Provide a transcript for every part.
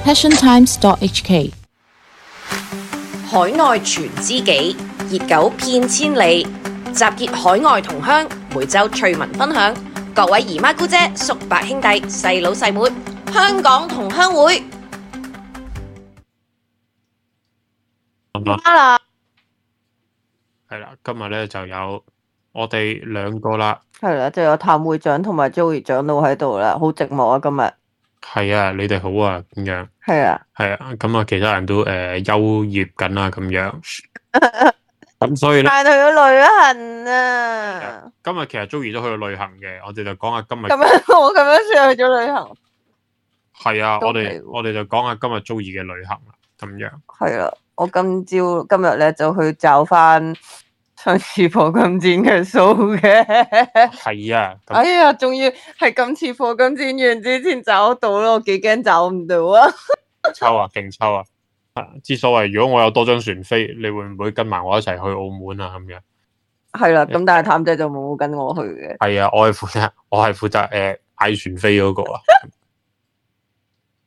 passiontimes.hk 海外傳知己，熱狗遍千里，集結海外同鄉，每週趣聞分享。各位姨媽姑姐、叔伯兄弟、細佬細妹，香港同鄉會。啦，係啦，今日咧就有我哋兩個啦。係啦，就有譚會長同埋 Joey 長老喺度啦，好寂寞啊今日。係啊，你哋好啊，咁樣。係啊，係啊，咁啊，其他人都休業緊啦，咁樣。咁所以咧，帶去咗旅行啊！今日其實 Joey 都去咗旅行嘅，我哋就講下今日。咁樣我咁樣算去咗旅行。係啊，都我係喎哋就講下今日 Joey 嘅旅行啦，咁樣。係啦，我今日咧就去找翻上次課金戰嘅數嘅。係啊，咁哎呀，仲要係今次課金戰完之前找到咯，我幾驚找唔到啊！抽啊，勁抽啊！之所謂，如果我有多張船飛，你會唔會跟埋我一齊去澳門啊？咁樣。係啦，咁但係譚仔就冇跟我去嘅。係啊，我係負責買船飛嗰個啊。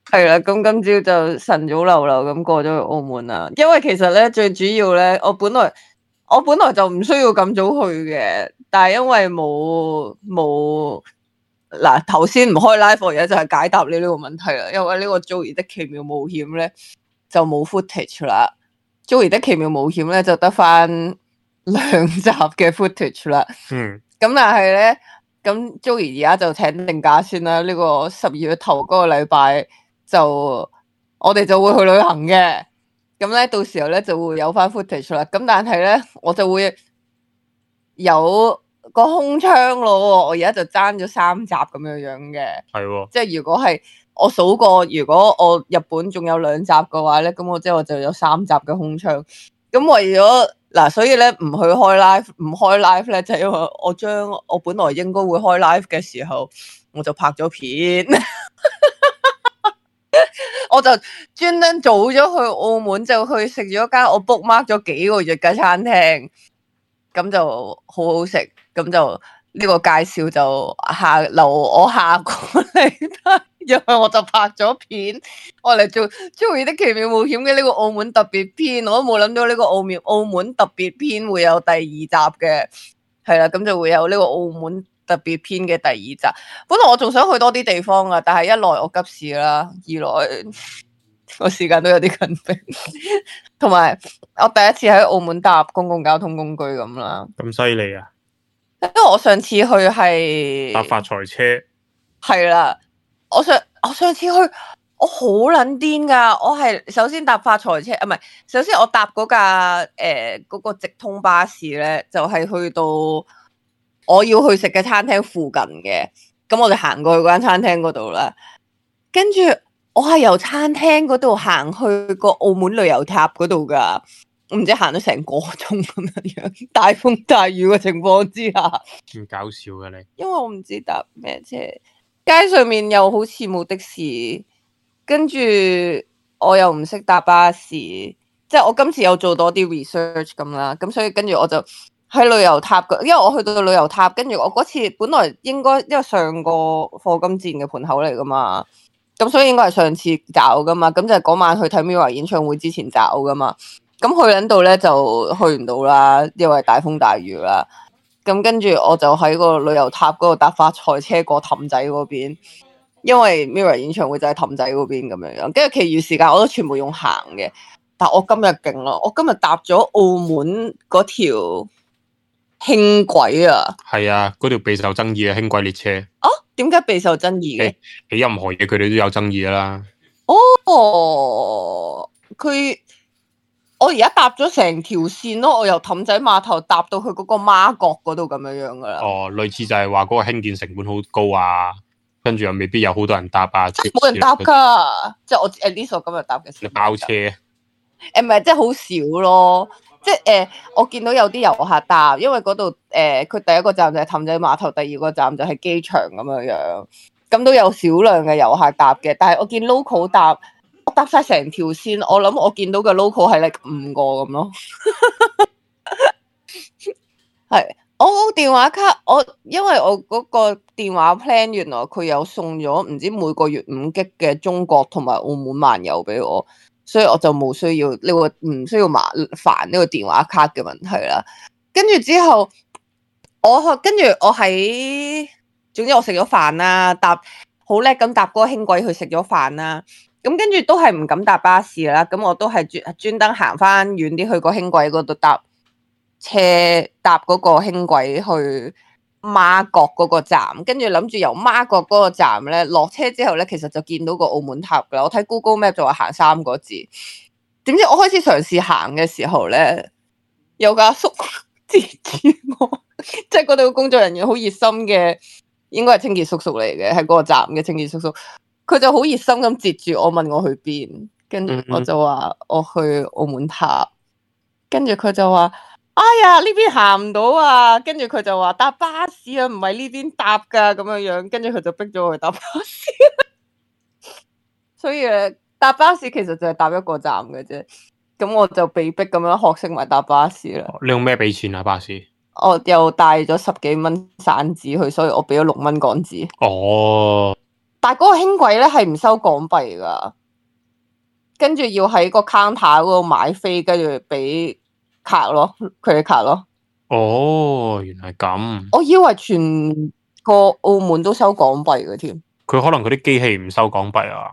係啦，咁今朝就晨早流流咁過咗去澳門啦。因為其實咧最主要咧，我本來就唔需要咁早去嘅，但係因為冇嗱頭先唔開 live 而家就係解答你呢個問題啦。因為呢個 Joey 的奇妙冒險咧就冇 footage 啦，Joey 的奇妙冒險咧就得翻2集嘅 footage 啦。嗯。咁但係咧，咁 Joey 而家就請定假先啦。呢個12月頭嗰個禮拜就我哋就會去旅行嘅。咁咧到時候咧就會有翻 footage 啦。咁但係咧我就會有個空窗咯。我而家就爭咗3集咁樣樣嘅。係喎。即係如果係我數過，如果我日本仲有2集嘅話咧，咁我就有3集嘅空窗。咁為咗嗱，所以咧唔開 live 咧，就係因為我本來應該會開 live 嘅時候，我就拍咗片，我就專登早咗去澳門，就去食咗間我 book mark 咗幾個月嘅餐廳，咁就好好食，咁就呢個介紹就留我下個嚟睇。因為我就拍咗片，我嚟做 Joey 的奇妙冒險嘅呢個澳門特別篇，我都冇諗到呢個澳門特別篇會有第2集嘅，係啦，咁就會有呢個澳門特別篇嘅第2集。本來我仲想去多啲地方噶，但係一來我急事啦，二來我時間都有啲緊迫，同埋我第一次喺澳門搭公共交通工具咁啦。咁犀利啊！因為我上次去係搭發財車。係啦。我上次去，我好撚癲噶！我係首先搭發財車，唔係，首先我搭嗰架嗰個直通巴士咧，就係去到我要去食嘅餐廳附近嘅，咁我就行過去嗰間餐廳嗰度啦。跟住我係由餐廳嗰度行去個澳門旅遊塔嗰度噶，唔知行咗成個鐘咁樣，大風大雨嘅情況之下。咁搞笑嘅你。因為我唔知搭咩車。街上面又好似冇的士，跟住我又唔識搭巴士，即係我今次有做多啲 research 咁啦，咁所以跟住我就喺旅遊塔，因為我去到旅遊塔，跟住我嗰次本來應該因為上個課金戰嘅盤口嚟噶嘛，咁所以應該係上次找噶嘛，咁就係嗰晚去睇 Mirror 演唱會之前找噶嘛，咁去緊度咧就去唔到啦，因為大風大雨啦。咁跟住我就喺個旅遊塔嗰度搭發財車過氹仔嗰邊，因為 Mirror 演唱會就喺氹仔嗰邊咁樣樣。跟住其餘時間我都全部用行嘅，但我今日勁咯，我今日搭咗澳門嗰條輕軌啊！係啊，嗰條備受爭議嘅輕軌列車。哦，點解備受爭議嘅？起任何嘢佢哋都有爭議噶啦。哦，我而家搭咗成條線咯，我由氹仔碼頭搭到去嗰個媽閣嗰度咁樣樣噶啦。哦，類似就係話嗰個興建成本好高啊，跟住又未必有好多人搭啊。冇人搭噶，即係我at least我今日搭嘅時候。你包車？唔係，即係好少咯。即係我見到有啲遊客搭，因為嗰度佢第一個站就係氹仔碼頭，第二個站就係機場咁樣樣，咁都有少量嘅遊客搭嘅。但係我見 local 搭，我搭晒成條線，我諗我見到嘅 local 係5個咁咯。係我個電話卡，因為我嗰個電話 plan 原來佢有送咗唔知每個月5G嘅中國同埋澳門漫遊俾我，所以我就冇需要呢個唔需要麻煩呢個電話卡嘅問題啦。跟住之後，跟住我喺，總之我食咗飯啦，好叻咁搭嗰個輕軌去食咗飯啦。咁跟住都係唔敢搭巴士啦，咁我都係專登行翻遠啲去個輕軌嗰度搭嗰個輕軌去媽閣嗰個站，跟住諗住由媽閣嗰個站咧落車之後咧，其實就見到個澳門塔噶啦。我睇 Google Map 就話行3個字，點知我開始嘗試行嘅時候咧，有個阿叔截住我，即係嗰度嘅工作人員好熱心嘅，應該係清潔叔叔嚟嘅，係嗰個站嘅清潔叔叔。佢就好熱心咁截住我，問我去邊，跟住我就話我去澳門塔，跟住佢就話：哎呀，呢邊行唔到啊！跟住佢就話搭巴士啊，唔係呢邊搭噶咁樣樣，跟住佢就逼咗我去搭巴士。所以搭巴士其實就係搭一個站嘅啫，咁我就被逼咁樣學識埋搭巴士啦。你用咩俾錢啊？巴士？我又帶咗10幾蚊散紙去，所以我俾咗6蚊港紙。哦。但係嗰個輕軌咧係唔收港幣噶，跟住要喺個 counter 嗰度買飛，跟住俾卡咯，佢哋卡咯。哦，原來咁。我以為全個澳門都收港幣嘅添。佢可能嗰啲機器唔收港幣啊。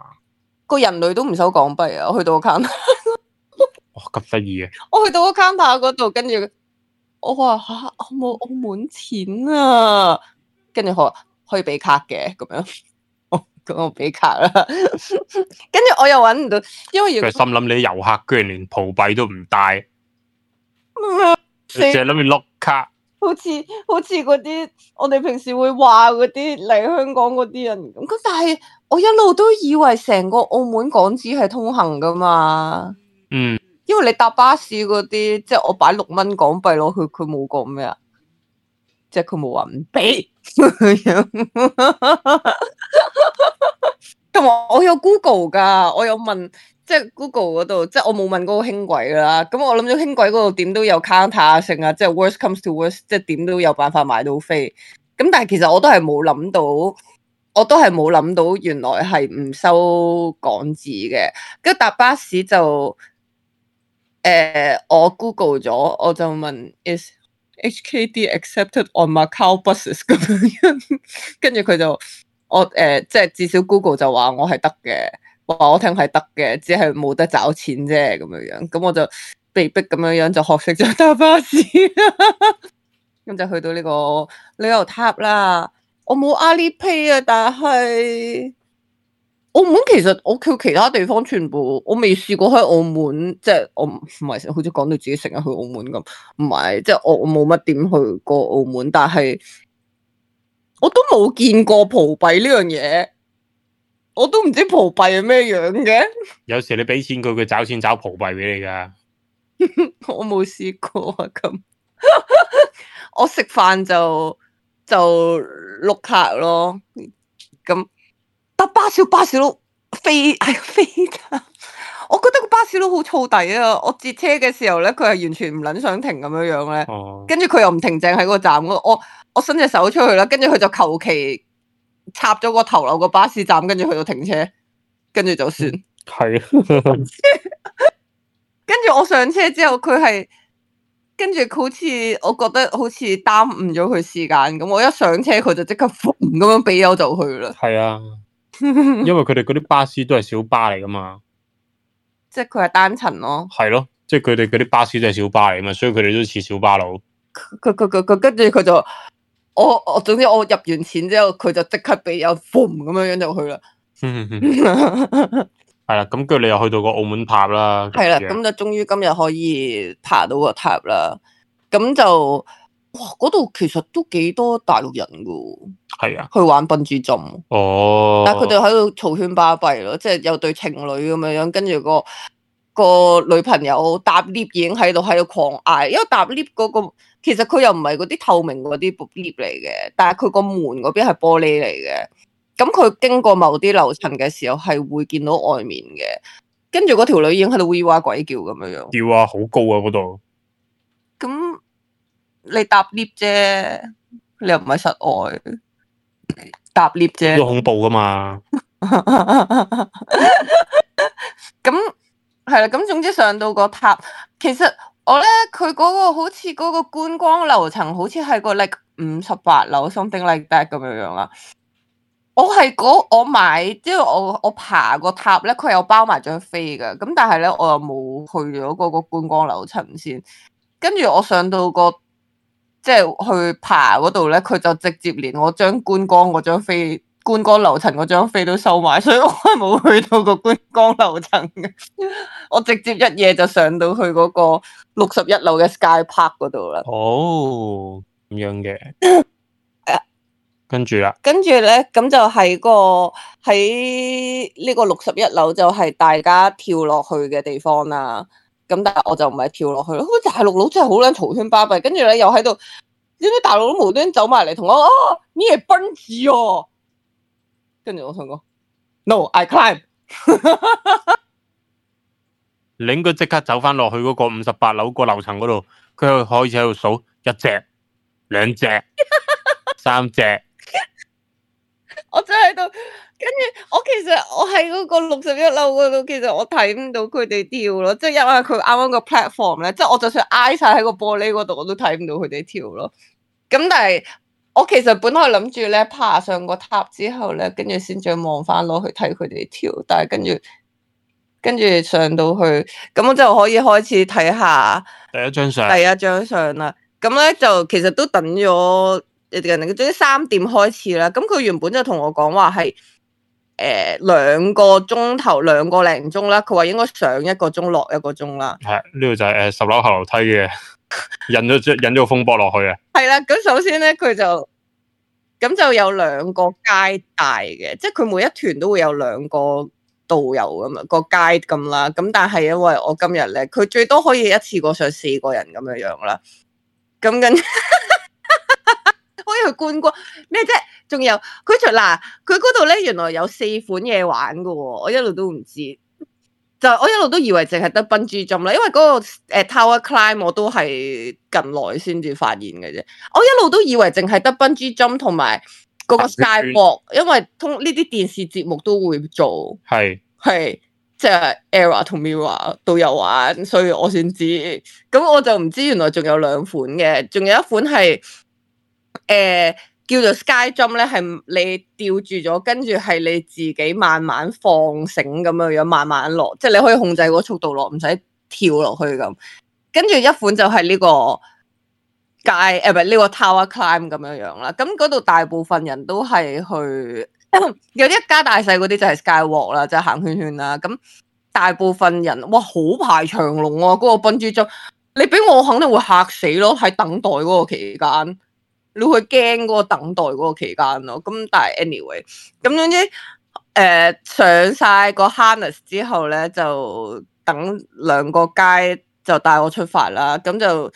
個人類都唔收港幣啊！我去到個 counter，哇，咁得意嘅。我去到個 counter 嗰度，跟住我話吓，我冇澳門錢啊，跟住佢話可以俾卡嘅咁樣。咁我俾卡啦，跟住我又搵唔到，因為佢心諗你啲遊客居然連葡幣都唔帶，淨係諗住碌卡，好似嗰啲我哋平時會話嗰啲嚟香港嗰啲人咁，但係我一路都以為成個澳門港紙係通行噶嘛，因為你搭巴士嗰啲，即係我擺6蚊港幣落去，佢冇講咩啊，即係佢冇話唔俾同埋我有 Google 噶，我有問，即係 Google 嗰度，即係我冇問嗰個輕軌啦。咁我諗咗輕軌嗰度點都有 counter 啊，剩啊，即係 worst comes to worst，即係點都有辦法買到飛。咁但係其實我都係冇諗到，原來係唔收港紙嘅。跟住搭巴士就，我 Google 咗，我就問 is HKD accepted on Macau buses 咁樣，跟住佢就。即係至少 Google 就話我係得嘅，話我聽係得嘅，只係冇得找錢啫咁樣樣，咁我就被逼咁樣樣就學識咗搭巴士，咁就去到呢個旅遊塔啦。我冇 Alipay 啊，但係澳門其實我去其他地方全部我未試過喺澳門，即係我唔係好似講到自己成日去澳門咁，唔係，即係我冇乜點去過澳門，但係。我都冇見過葡幣呢樣嘢，我都唔知葡幣係咩樣嘅。有時你俾錢佢，佢找錢找葡幣俾你噶。我冇試過啊，咁我食飯就碌卡咯。咁搭巴士都飛我覺得個巴士都好燥底啊！我截車嘅時候咧，佢係完全唔撚想停咁樣樣咧。跟住佢又唔停正喺個站嗰度，我伸隻手出去啦，跟住佢就求其插咗個頭落個巴士站，跟住去到停車，跟住就算。係。跟住我上車之後，佢係跟住好似我覺得好似耽誤咗佢時間咁。我一上車，佢就即刻咁樣俾油就去啦。係啊，因為佢哋嗰啲巴士都係小巴嚟噶嘛。即係佢係單層咯，係咯，即係佢哋嗰啲巴士都係小巴嚟嘛，所以佢哋都似小巴佬。佢跟住佢就我總之我入完錢之後，佢就即刻俾有 boom 咁樣就去啦。係啦，咁跟住你又去到個澳門塔啦。係啦，咁就終於今日可以爬到個塔啦。咁就哇，嗰度其實都幾多大陸人噶。係啊，去玩笨豬跳。哦，但係佢哋喺度嘈喧巴閉咯，即係有對情侶咁樣樣，跟住個女朋友搭 lift 已經喺度狂嗌，因為搭 lift 嗰個其實佢又唔係嗰啲透明嗰啲 lift 嚟嘅，但係佢個門嗰邊係玻璃嚟嘅，咁佢經過某啲樓層嘅時候係會見到外面嘅，跟住嗰條女已經喺度嗚哇鬼叫咁樣樣。叫啊，好高啊嗰度。咁你搭 lift 啫，你又唔係室外搭 lift 啫。都恐怖噶嘛。咁係啦，咁總之上到個塔，其實我咧佢嗰個好似嗰個觀光樓層，好似係個 like 58樓 something like that 咁樣樣啦。我買，即係我爬個塔咧，佢有包埋張飛㗎，咁但係咧我又冇去咗嗰個觀光樓層先，跟住我上到個即係去爬嗰度咧，佢就直接連我張觀光嗰張飛。觀光樓層嗰張飛都收埋，所以我係冇去到個觀光樓層嘅。我直接一夜就上到去嗰個61樓嘅 Sky Park 嗰度啦。哦，咁樣嘅。跟住啦，跟住咧，咁就喺呢個61樓就係大家跳落去嘅地方啦。咁但係我就唔係跳落去咯。大陸佬真係好撚嘈喧巴閉，跟住咧又喺度，點解大陸佬無端走埋嚟同我你係奔子哦！跟住我同佢講 ，No，I climb 。你應該即刻走翻落去嗰個58樓個樓層嗰度，佢開始喺度數1隻、2隻、3隻。我真喺度，跟住其實我喺嗰個61樓嗰度，其實我睇唔到佢哋跳咯，即係因為佢啱啱個 platform 咧，即係我就算挨晒喺個玻璃嗰度，我都睇唔到佢哋跳咯。咁但係。我其實本來諗住咧爬上個塔之後咧，跟住先再望翻落去睇佢哋跳，但係跟住上到去，咁我就可以開始睇下第一張相啦。咁咧就其實都等咗人哋總之3點開始啦。咁佢原本就同我講話係2個鐘頭2個零鐘啦，佢話應該上1個鐘落1個鐘啦。係呢度就係10樓後樓梯嘅。引咗風波落去啊！係啦，咁首先咧佢就有2個街帶嘅，即係佢每一團都會有2個導遊咁樣個街咁啦。咁但係因為我今日咧，佢最多可以一次過上4個人咁樣樣啦。咁跟可以去觀光咩啫？仲有佢嗰度咧，原來有4款嘢玩噶喎，我一路都唔知。就我一路都以為淨係得 bungee jump 啦，因為嗰個Tower Climb 我都係近來先至發現嘅啫。我一路都以為淨係得 bungee jump 同埋嗰個 skywalk，因為通呢啲電視節目都會做，係即係 Era 同 Mirror 都有玩，所以我先知。咁我就唔知原來仲有2款嘅，仲有一款係叫做 Sky Jump 咧，係你吊住咗，跟住係你自己慢慢放繩咁樣樣，慢慢落，即係你可以控制個速度落，唔使跳落去咁。跟住一款就係呢個唔係呢個 Tower Climb 咁樣樣啦。咁嗰度大部分人都係去，有啲一家大細嗰啲就係 Skywalk 啦，就係行圈圈啦。咁大部分人哇好排長龍啊！嗰個 bungee jump，你俾我肯定會嚇死咯，喺等待嗰個期間。你會驚嗰個等待嗰個期間咯，咁但係 anyway，咁總之上晒個 harness 之後咧，就等2個街就帶我出發啦。咁就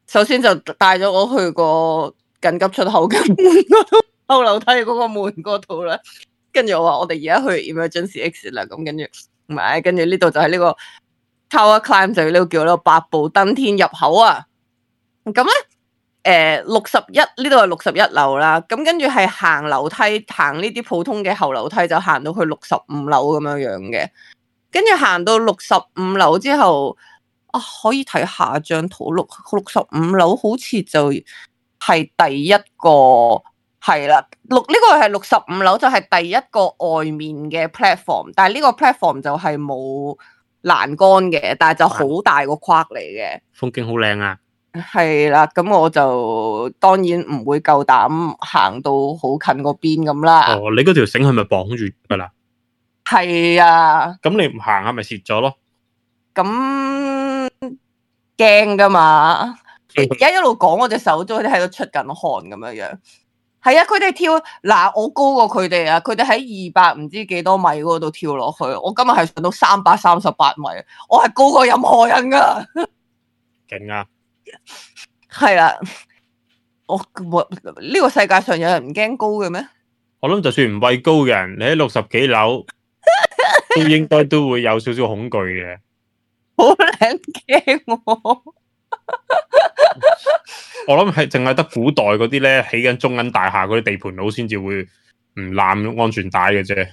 首先就帶咗我去個緊急出口嘅門嗰度，後樓梯嗰個門嗰度啦。跟住我話我哋而家去 emergency exit 啦，咁跟住唔係，跟住呢度就係呢個 Tower Climb， 就呢個叫呢個8步登天入口啊。咁咧。61呢度係61樓啦，咁跟住係行樓梯，行呢啲普通嘅後樓梯就行到去65樓咁樣樣嘅，跟住行到65樓之後，可以睇下張圖，65樓好似就係第一個，係啦，呢個係65樓就係第一個外面嘅 platform， 但係呢個 platform 就係冇欄杆嘅，但係就好大個框嚟嘅，風景好靚啊！係啦，咁我就當然唔會夠膽行到好近個邊咁啦。哦，你嗰條繩係咪綁住噶啦？係啊。咁你唔行係咪蝕咗咯？咁驚噶嘛？而家一路講，我隻手都喺度出緊汗咁樣樣。係啊，佢哋跳嗱，我高過佢哋啊，佢哋喺200唔知幾多米嗰度跳落去，我今日係上到338米，我係高過任何人噶。勁啊！係啦，呢個世界上有人唔驚高嘅咩？我諗就算唔畏高嘅人，你喺60幾樓都應該都會有少少恐懼嘅。好撚驚我！我諗係淨係得古代嗰啲咧起緊中銀大廈嗰啲地盤佬先至會唔攬安全帶嘅啫。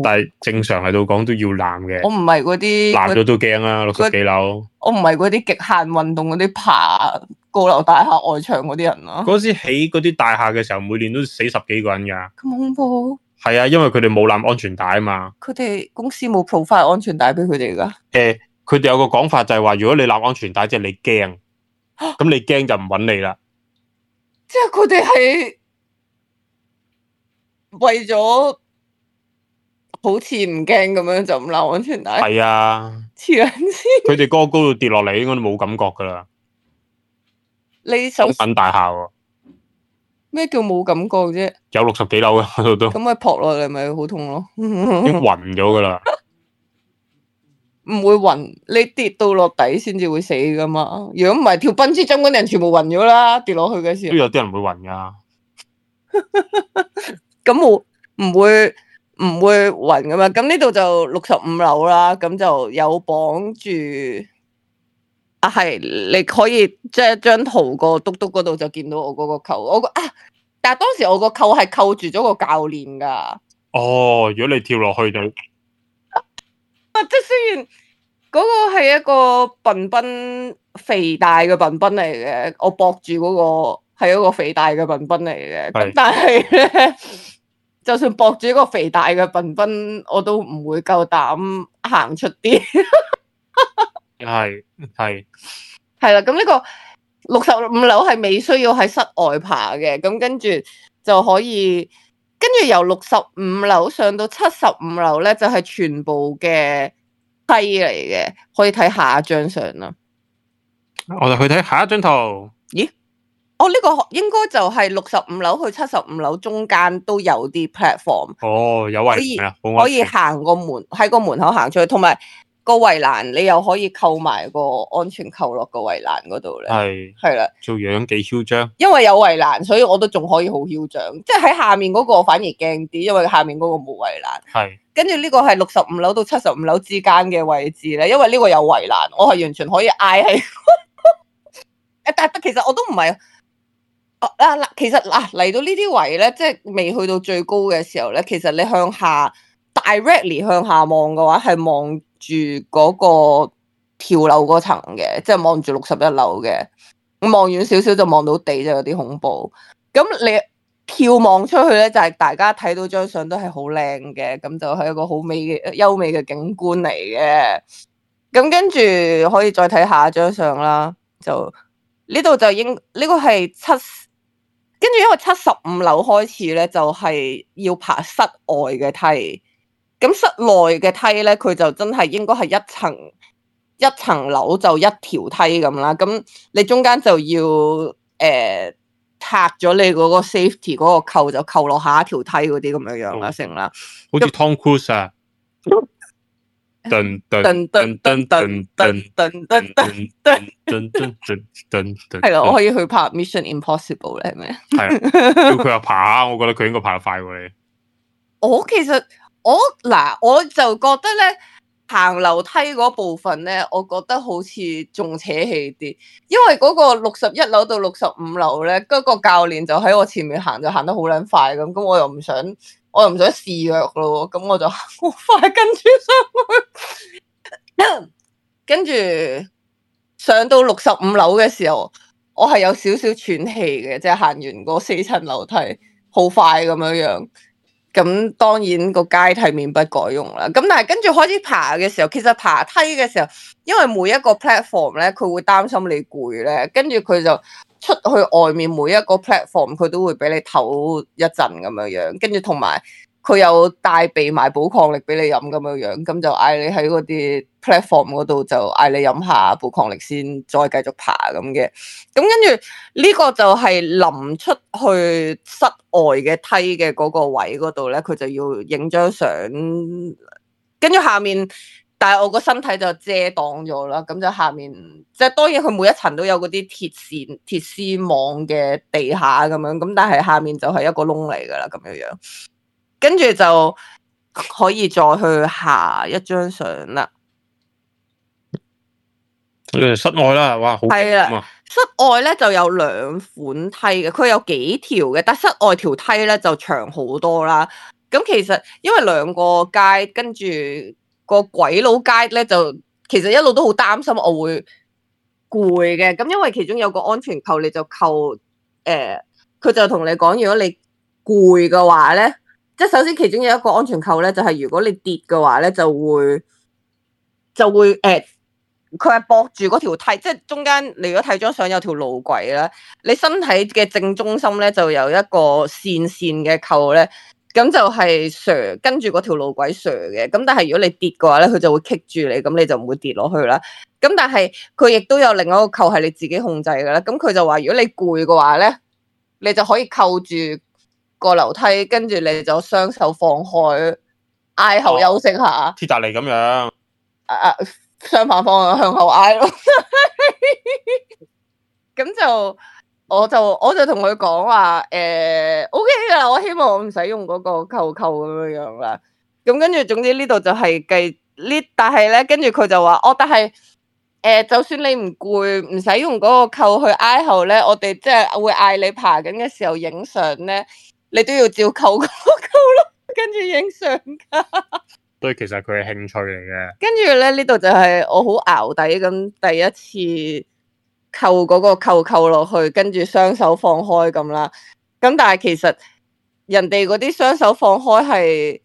但係正常嚟到講都要攬嘅。我唔係嗰啲攬咗都驚啦，60幾樓。我唔係嗰啲極限運動嗰啲爬高樓大廈外牆嗰啲人咯。嗰時起嗰啲大廈嘅時候，每年都死10幾個人噶。咁恐怖？係啊，因為佢哋冇攬安全帶啊嘛。佢哋公司冇 provide 安全帶俾佢哋噶。佢哋有個講法就係話，如果你攬安全帶，即係你驚，咁你驚就唔揾你啦。即係佢哋係為咗好似唔驚咁樣就唔攬安全帶。係啊，黐撚線。佢哋嗰個高度跌落嚟，應該都冇感覺噶啦。你首品大廈喎，咩叫冇感覺啫？有60幾樓嘅嗰度都。咁咪撲落嚟咪好痛咯。已經暈咗噶啦。唔會暈，你跌到落底先至會死噶嘛。如果唔係，跳蹦之針嗰啲人全部暈咗啦，跌落去嘅時候。都有啲人會暈噶。咁我唔會暈噶嘛。咁呢度就65樓啦，咁就有綁住。啊，係你可以即係張圖個篤篤嗰度就見到我嗰個扣，但係當時我個扣係扣住咗個教練噶。哦，如果你跳落去就，即係雖然嗰個係一個笨笨肥大嘅笨笨嚟嘅，我駁住嗰個係一個肥大嘅笨笨嚟嘅，咁但係咧，就算駁住一個肥大嘅笨笨，我都唔會夠膽行出啲。係啦，咁呢個65樓係未需要喺室外爬嘅，咁跟住就可以，跟住由65樓上到75樓咧，就係全部嘅梯嚟嘅，可以睇下一張相啦。我哋去睇下一張圖。咦？呢個應該就係65樓去75樓中間都有啲 platform。哦，有圍欄，可以行個門喺個門口行出去，同埋個圍欄你又可以扣埋個安全扣落個圍欄嗰度咧。係啦，做樣幾囂張。因為有圍欄，所以我都仲可以好囂張。即係喺下面嗰個反而驚啲，因為下面嗰個冇圍欄。係。跟住呢個係65樓到75樓之間嘅位置咧，因為呢個有圍欄，我係完全可以挨喺。但其實我都唔係。其實嚟到呢啲位咧，即係未去到最高嘅時候咧，其實你向下 directly 向下望嘅話，係望住嗰個跳樓嗰層嘅，即係望住61樓嘅。望遠少少就望到地，就有啲恐怖。咁你眺望出去咧，就係大家睇到張相都係好靚嘅，咁就係一個好美嘅優美嘅景觀嚟嘅。咁跟住可以再睇下一張相啦，就呢度就呢個係跟住因為75樓開始咧，就係要爬室外嘅梯。咁室內嘅梯咧，佢就真係應該係一層樓就一條梯咁啦。咁你中間就要拆咗你嗰個 safety 嗰個扣，就扣落下一條梯嗰啲咁樣樣啦，成啦。好似 Tom Cruise 啊！噔噔噔噔噔噔噔噔噔噔噔，係咯，我可以去拍 Mission Impossible 咧，係咪？係，叫佢又爬下，我覺得佢應該爬得快過你。其實我就覺得咧，行樓梯嗰部分咧，我覺得好似仲扯氣啲，因為嗰個61樓到65樓咧，嗰個教練就喺我前面行，就行得好撚快咁，我又唔想示弱咯，咁我就好快跟住上去，跟住上到65樓嘅時候，我係有少少喘氣嘅，即係行完嗰4層樓梯，好快咁樣樣。咁當然個階梯免不改用啦。咁但係跟住開始爬嘅時候，其實爬梯嘅時候，因為每一個 platform 咧，佢會擔心你攰咧，跟住佢就出去外面每一個 platform，佢都會俾你唞一陣咁樣樣，跟住同埋佢有帶備埋寶礦力俾你飲咁樣樣，咁就嗌你喺嗰啲 platform 嗰度就嗌你飲下寶礦力先，再繼續爬咁嘅。咁跟住呢個就係臨出去室外嘅梯嘅嗰個位嗰度咧，佢就要影張相，跟住下面，但係我個身體就遮擋咗啦。咁就下面即係當然佢每一層都有嗰啲鐵絲網嘅地下咁樣，咁但係下面就係一個窿嚟噶啦，咁樣樣。跟住就可以再去下一張相啦。室外啦，哇，好係啦。室外咧就有兩款梯嘅，佢有幾條嘅，但室外條梯咧就長好多啦。咁其實因為兩個街跟住個鬼佬街咧，就其實一路都好擔心我會攰嘅。咁因為其中有個安全扣，你就扣佢就同你講，如果你攰嘅話咧，即係首先其中有一個安全扣咧，就係如果你跌嘅話咧，就會佢係駁住嗰條梯，即係中間。你如果睇張相有條路軌啦，你身體嘅正中心咧就有一個線嘅扣咧，咁就係跟住嗰條路軌嘅。咁但係如果你跌嘅話咧，佢就會棘住你，咁你就唔會跌落去啦。咁但係佢亦都有另一個扣係你自己控制嘅啦。咁佢就話如果你攰嘅話咧，你就可以扣住個樓梯，跟住你就雙手放開，挨後休息下。鐵達尼咁樣。相反方向向後挨咯，咁就我就同佢講話OK 噶啦，我希望我唔使用嗰個扣咁樣啦。咁跟住總之呢度就係但係咧跟住佢就話但係就算你唔攰，唔使用嗰個扣去挨後咧，我哋即係會嗌你爬緊嘅時候影相咧，你都要照扣嗰個扣咯，跟住影相噶。所以其實佢係興趣嚟嘅。跟住咧呢度就係我好淆底咁第一次扣嗰個扣落去，跟住雙手放開咁啦。咁但係其實人哋嗰啲雙手放開係，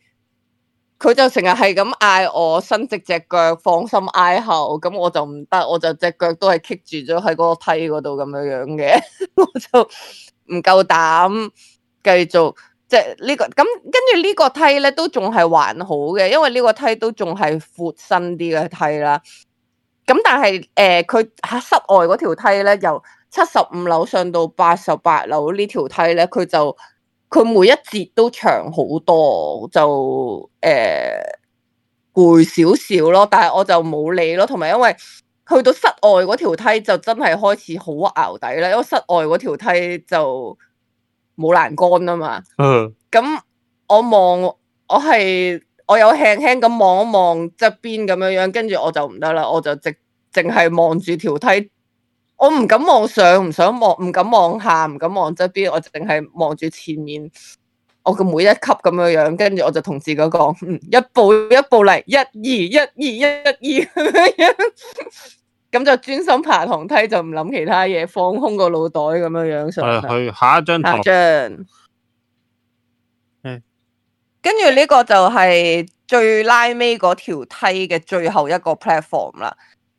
佢就成日係咁嗌我伸直隻腳，放心挨後。咁我就唔得，我就隻腳都係棘住咗喺嗰個梯嗰度咁樣嘅，我就唔夠膽繼續。即係呢個咁，跟住呢個梯咧都仲係還好嘅，因為呢個梯都仲係闊身啲嘅梯啦。咁但係佢喺室外嗰條梯咧，由75樓上到88樓呢條梯咧，佢每一節都長好多，就攰少少咯。但係我就冇理咯，同埋因為去到室外嗰條梯就真係開始好淆底啦，因為室外嗰條梯就冇欄杆啊嘛，咁我有輕輕咁望一望側邊咁樣樣，跟住我就唔得啦，我就淨係望住條梯，我唔敢望上，唔想望，唔敢望下，唔敢望側邊，我淨係望住前面我嘅每一級咁樣樣，跟住我就同自己講，一步一步嚟，1、2、1、2、1、2咁樣樣。咁就專心爬堂梯，就唔諗其他嘢，放空個腦袋咁樣樣上。去下一張圖。跟住呢個就係最拉尾嗰條梯嘅最後一個 platform 啦。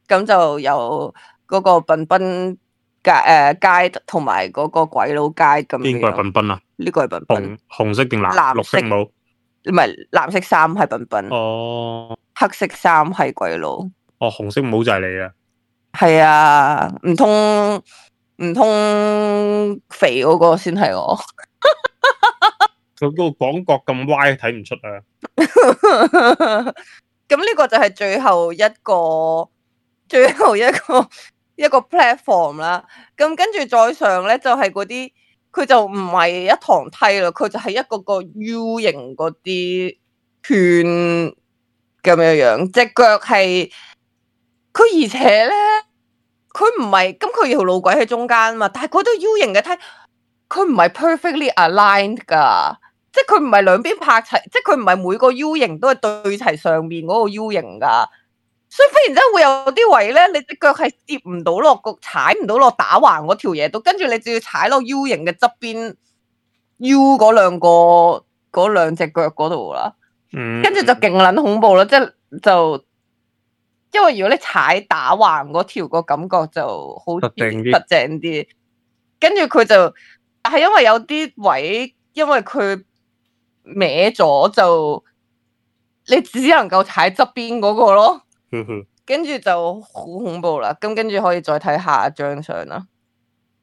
咁就有嗰個笨笨街同埋嗰個鬼佬街咁樣。邊個係笨笨啊？呢個係笨笨。紅色定綠色帽？唔係，藍色衫係笨笨。哦。黑色衫係鬼佬。哦，紅色帽就係你啊？係啊，唔通肥嗰個先係我？佢嗰個廣角咁歪，睇唔出啊！咁呢個就係最後一個 platform 啦。咁跟住再上咧，就係嗰啲，佢就唔係一堂梯啦，佢就係一個 U 型嗰啲圈咁樣樣，隻腳係。佢而且咧，佢唔係咁，佢條路軌喺中間嘛，但係嗰啲 U 型嘅梯，佢唔係 perfectly aligned 噶，即係佢唔係兩邊拍齊，即係佢唔係每個 U 型都係對齊上面嗰個 U 型噶，所以忽然之間會有啲位咧，你隻腳係跌唔到落個，踩唔到落打橫嗰條嘢度，跟住你就要踩落 U 型嘅側邊 U 嗰兩隻腳嗰度啦，跟住就勁撚恐怖啦，即係就。因為如果你踩打橫嗰條個感覺就好實淨啲，跟住佢就，但係因為有啲位，因為佢歪咗，就你只能夠踩側邊嗰個咯，跟住就好恐怖啦。咁跟住可以再睇下一張相啦。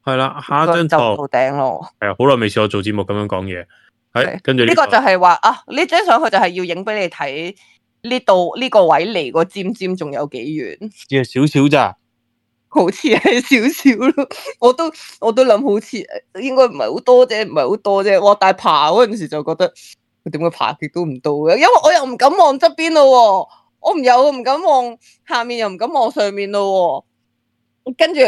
係啦，下一張就到頂咯。係啊，好耐未試過做節目咁樣講嘢。係，跟住呢個就係話啊，呢張相佢就係要影俾你睇。呢度呢個位離個尖尖仲有幾遠？只係少少咋，好似係少少咯。我都諗好似應該唔係好多啫，唔係好多啫。哇！但係爬嗰陣時就覺得佢點解爬極都唔到嘅？因為我又唔敢望側邊咯，我唔敢望下面，又唔敢望上面咯。跟住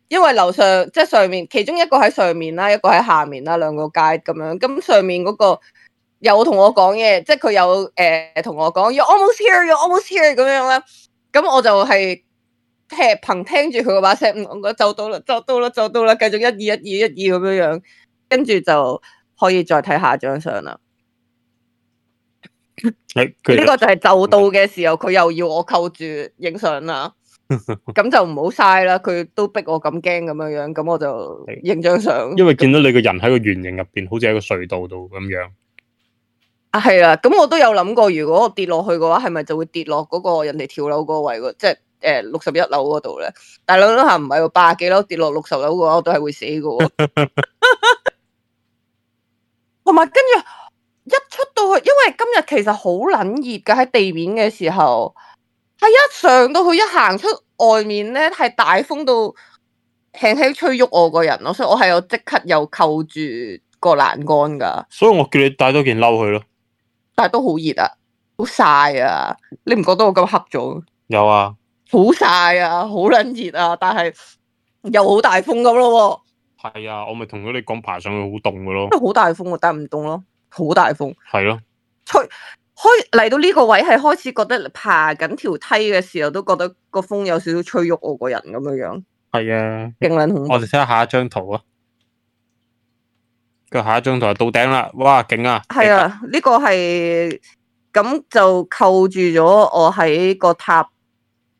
因為樓上即係上面，其中一個喺上面啦，一個喺下面啦，兩個街咁樣。咁上面嗰個有同我講嘢，即係佢有同我講 You're almost here, you're almost here 咁樣啦。咁我就係憑聽住佢嗰把聲，我覺得走到啦，繼續1、2、1、2、1、2咁樣樣，跟住就可以再睇下張相啦。呢個就係就到嘅時候，佢又要我扣住影相啦。咁就唔好嘥啦，佢都逼我咁驚咁樣樣，咁我就影張相。因為見到你個人喺個圓形入邊，好似喺個隧道度咁樣。啊，係啦，咁我都有諗過，如果我跌落去嘅話，係咪就會跌落嗰個人哋跳樓嗰個位，即係61樓嗰度咧？但係諗諗下唔係喎，80幾樓跌落60樓嘅話，我都係會死嘅。同埋跟住一出到去，因為今日其實好撚熱㗎，喺地面嘅時候，係一上到去一行出外面咧，係大風到輕輕吹喐我個人咯，所以我係有即刻又扣住個欄杆㗎。所以我叫你帶多件褸去咯。但係都好熱啊，好曬啊！你唔覺得我咁黑咗？有啊，好曬啊，好撚熱啊！但係又好大風咁咯喎。係啊，我咪同咗你講爬上去好凍嘅咯。因為好大風，但係唔凍咯，好大風。係咯。開嚟到呢個位係開始覺得爬緊條梯嘅時候，都覺得個風有少少吹喐我個人咁樣樣。係啊，勁撚恐怖。我哋睇下下一張圖啊。個下一張圖就到頂啦，哇，勁啊！係啊，呢個係咁就扣住咗我喺個塔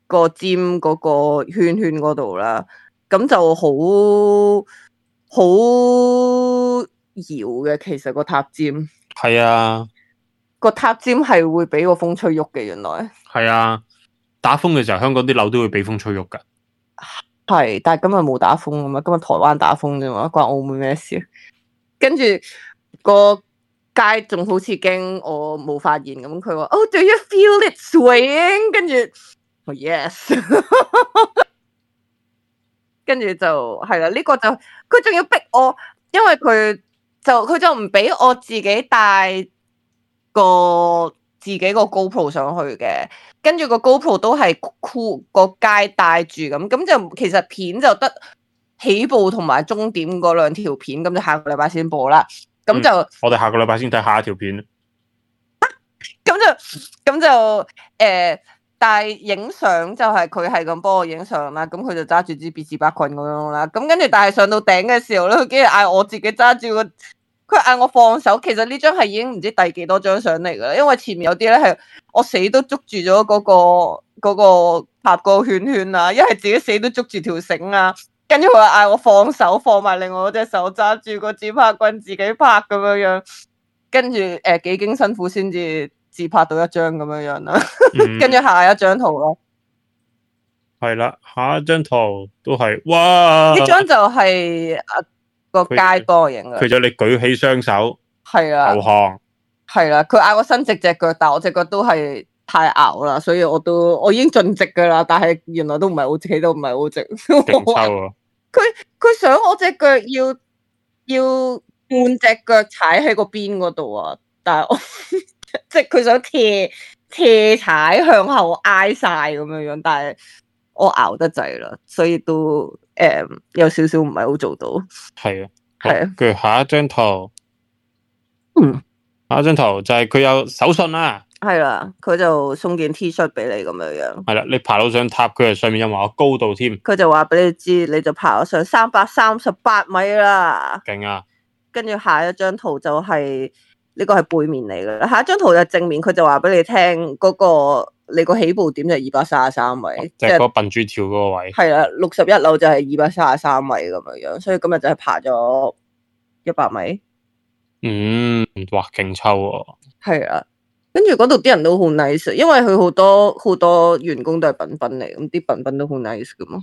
個尖嗰個圈圈嗰度啦，咁就好搖嘅。其實個塔尖係啊，個塔尖係會俾個風吹喐嘅。原來係啊，打風嘅時候，香港啲樓都會俾風吹喐噶。係，但係今日冇打風啊嘛，今日台灣打風啫嘛，關澳門咩事？跟住個街仲好似驚我冇發現咁，佢話：Oh, do you feel it swaying？ 跟住，Oh yes， 跟住就係啦。呢個就佢仲要逼我，因為佢就唔俾我自己帶自己個 GoPro 上去嘅，跟住個 GoPro 都係個街帶住咁就其實片就得起步同埋終點嗰兩條片，咁就下個禮拜先播啦。咁就、我哋下個禮拜先睇下一條片。咁就但係影相就係佢係咁幫我影相啦。咁佢就揸住支別字巴棍咁樣啦。咁跟住但係上到頂嘅時候咧，佢竟然嗌我自己揸住佢嗌我放手。其實呢張係已經唔知第幾多張相嚟噶啦，因為前面有啲咧係我死都捉住咗嗰個拍個圈圈啊，一係自己死都捉住條繩啊。跟住佢嗌我放手，放埋另外嗰隻手揸住個自拍棍自己拍咁樣樣，跟住幾經辛苦先至自拍到一張咁樣樣啦。跟住下一張圖咯，係啦，下一張圖都係哇！呢張就係個街幫我影嘅。佢就你舉起雙手，係啊，投降，係啦。佢嗌我伸直隻腳，但係我隻腳都係太拗啦，所以我已經盡直噶啦，但係原來都唔係好直，都唔係好直。勁抽啊！佢想我隻腳要半隻腳踩喺個邊嗰度啊，但係我即係佢想斜踩向後挨晒咁樣樣，但係我熬得滯啦，所以都有少少唔係好做到。係啊，係啊。跟住下一張圖，下一張圖就係佢有手信啦。係啦，佢就送件 T 恤俾你咁樣樣。係啦，你爬到上塔，佢係上面有埋個高度添。佢就話俾你知，你就爬咗上338米啦。勁啊！跟住下一張圖就係呢個係背面嚟嘅，下一張圖就正面，佢就話俾你聽你個起步點就係233米，即係嗰笨豬跳嗰個位。係啦，61樓就係233米咁樣樣，所以今日就係爬咗100米。哇，勁抽喎！係啊。跟住嗰度啲人都好 nice，因為佢好多員工都係笨笨嚟，咁啲笨笨都好 nice 噶嘛。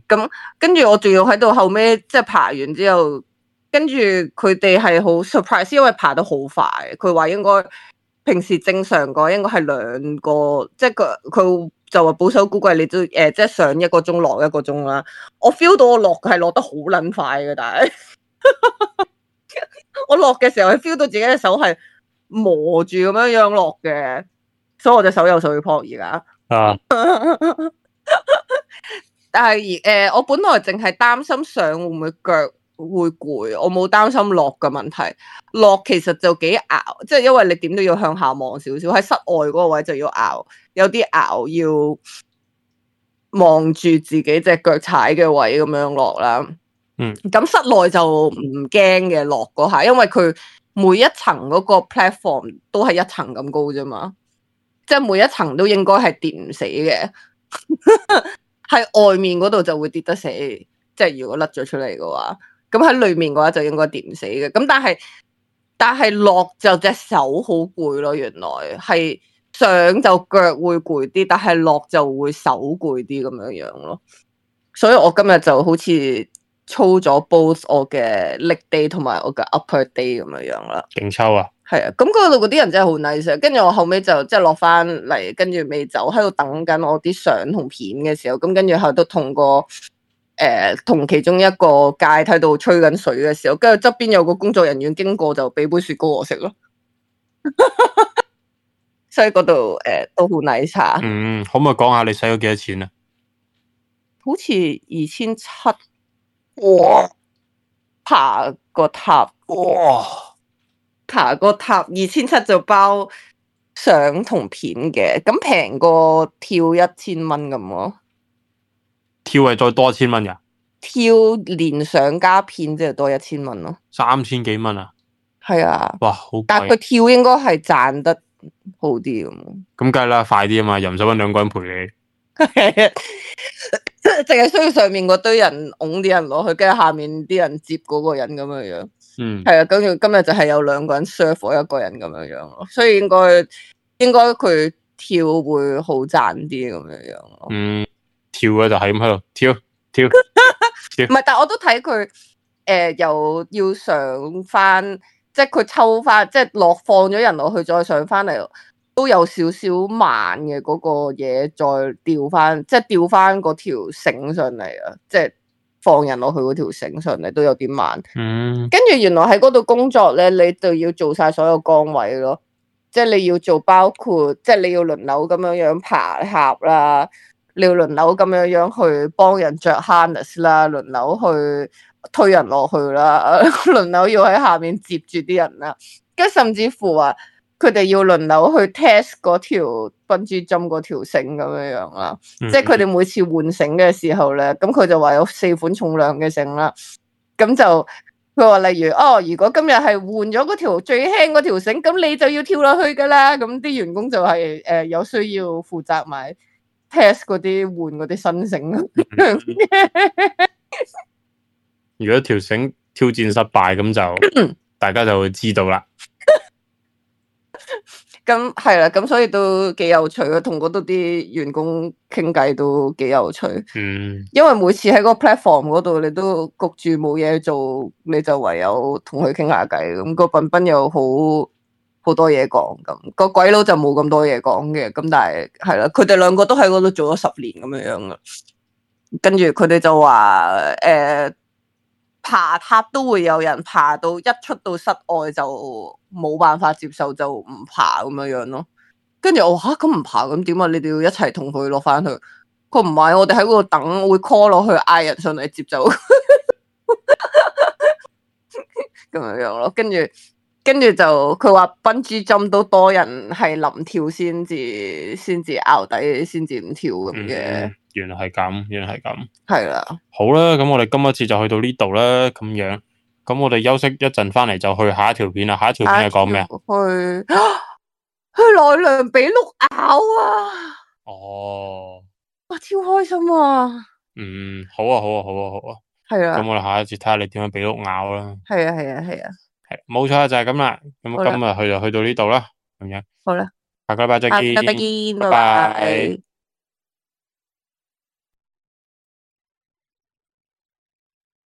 咁跟住我仲要喺度後尾即係爬完之後，跟住佢哋係好 surprise， 因為爬得好快。佢話應該平時正常講應該係2個，即係佢就話保守估計你都即係上1個鐘落1個鐘啦。我 feel 到我落係落得好撚快嘅，但係我落嘅時候係 feel 到自己嘅手係磨住咁樣落嘅，所以我隻手有水泡而家。但係我本來淨係擔心上會唔會腳會攰，我冇擔心落嘅問題。落其實就幾熬，即係因為你點都要向下望少少，喺室外嗰個位就要熬，有啲熬要望住自己隻腳踩嘅位咁樣落啦。咁室內就唔驚嘅落嗰下，因為佢每一層嗰個 platform 都係一層咁高啫嘛，即係每一層都應該係跌唔死嘅。喺外面嗰度就會跌得死，即係如果甩咗出嚟嘅話，咁喺裏面嘅話就應該跌唔死嘅。咁但係落就隻手好攰咯，原來係上就腳會攰啲，但係落就會手攰啲咁樣樣咯。所以我今日就好似操咗 both 我嘅 leg day 同埋我嘅 upper day 咁樣樣啦。勁抽啊！係啊，咁嗰度嗰啲人真係好 nice。跟住我後尾就即係落翻嚟，跟住未走，喺度等緊我啲相同片嘅時候，咁跟住喺度同其中一個街喺度吹緊水嘅時候，跟住側邊有個工作人員經過，就俾杯雪糕我食咯。所以嗰度都好 nice 下。可唔可以講下你使咗幾多錢啊？好似2700，哇！爬個塔，哇！爬個塔2700就包相同片嘅，咁平過跳1000蚊咁咯。跳係再多1000蚊噶？跳連相加片即係多1000蚊咯。3000幾蚊啊？係啊。哇，好貴！但係佢跳應該係賺得好啲咁。咁梗係啦，快啲啊嘛，又唔使搵2個人陪你。淨係需要上面嗰堆人拱啲人落去，跟住下面啲人接嗰個人咁樣樣。係啊，跟住今日就係有2個人 serve 我一個人咁樣樣咯，所以應該佢跳會好賺啲咁樣樣咯。跳嘅就係咁喺度跳。唔係，但係我都睇佢又要上翻，即係佢抽翻，即係放咗人落去再上翻嚟，都有少少慢嘅嗰個嘢，再吊翻，即係吊翻嗰條繩上嚟啊！即係放人落去嗰條繩上嚟都有啲慢。跟住原來喺嗰度工作咧，你就要做晒所有崗位咯，即係你要做包括，即係你要輪流咁樣樣爬峽啦，你要輪流咁樣樣去幫人着 harness 啦，輪流去推人落去啦，輪流要喺下面接住啲人啦，跟住甚至乎話佢哋要輪流去 test 嗰條bungee jump嗰條繩咁樣樣啦，即係佢哋每次換繩嘅時候咧，咁佢就話有4款重量嘅繩啦，咁就佢話例如如果今日係換咗嗰條最輕嗰條繩，咁你就要跳落去噶啦，咁啲員工就係有需要負責埋 test 嗰啲換嗰啲新繩。如果條繩挑戰失敗，咁就大家就會知道啦。咁係啦，咁所以都幾有趣咯，同嗰度啲員工傾偈都幾有趣。因為每次喺個 platform 嗰度，你都焗住冇嘢做，你就唯有同佢傾下偈。咁個賓賓又好多嘢講，咁個鬼佬就冇咁多嘢講嘅。咁但係係啦，佢哋2個都喺嗰度做咗10年咁樣樣噶。跟住佢哋就話爬塔都會有人爬到一出到室外就冇辦法接受，就唔爬咁樣樣咯。跟住我話咁唔爬咁點啊？你哋要一齊同佢落翻去。佢唔係，我哋喺嗰度等，會 call 落去嗌人上嚟接走。咁樣樣咯。跟住就佢話 bungee jump 都多人係臨跳先至拗底，先至唔跳咁嘅。原來係咁，係啦。好啦，咁我哋今一次就去到呢度啦，咁樣，咁我哋休息一陣，翻嚟就去下一條片啦。下一條片係講咩啊？去奈良俾鹿咬啊！哇，超開心啊！好啊。係啊。咁我哋下一次睇下你點樣俾鹿咬啦。係啊。係，冇錯就係咁啦。咁今日就去到呢度啦，咁樣。好啦，下個禮拜再見。下個禮拜見，拜拜。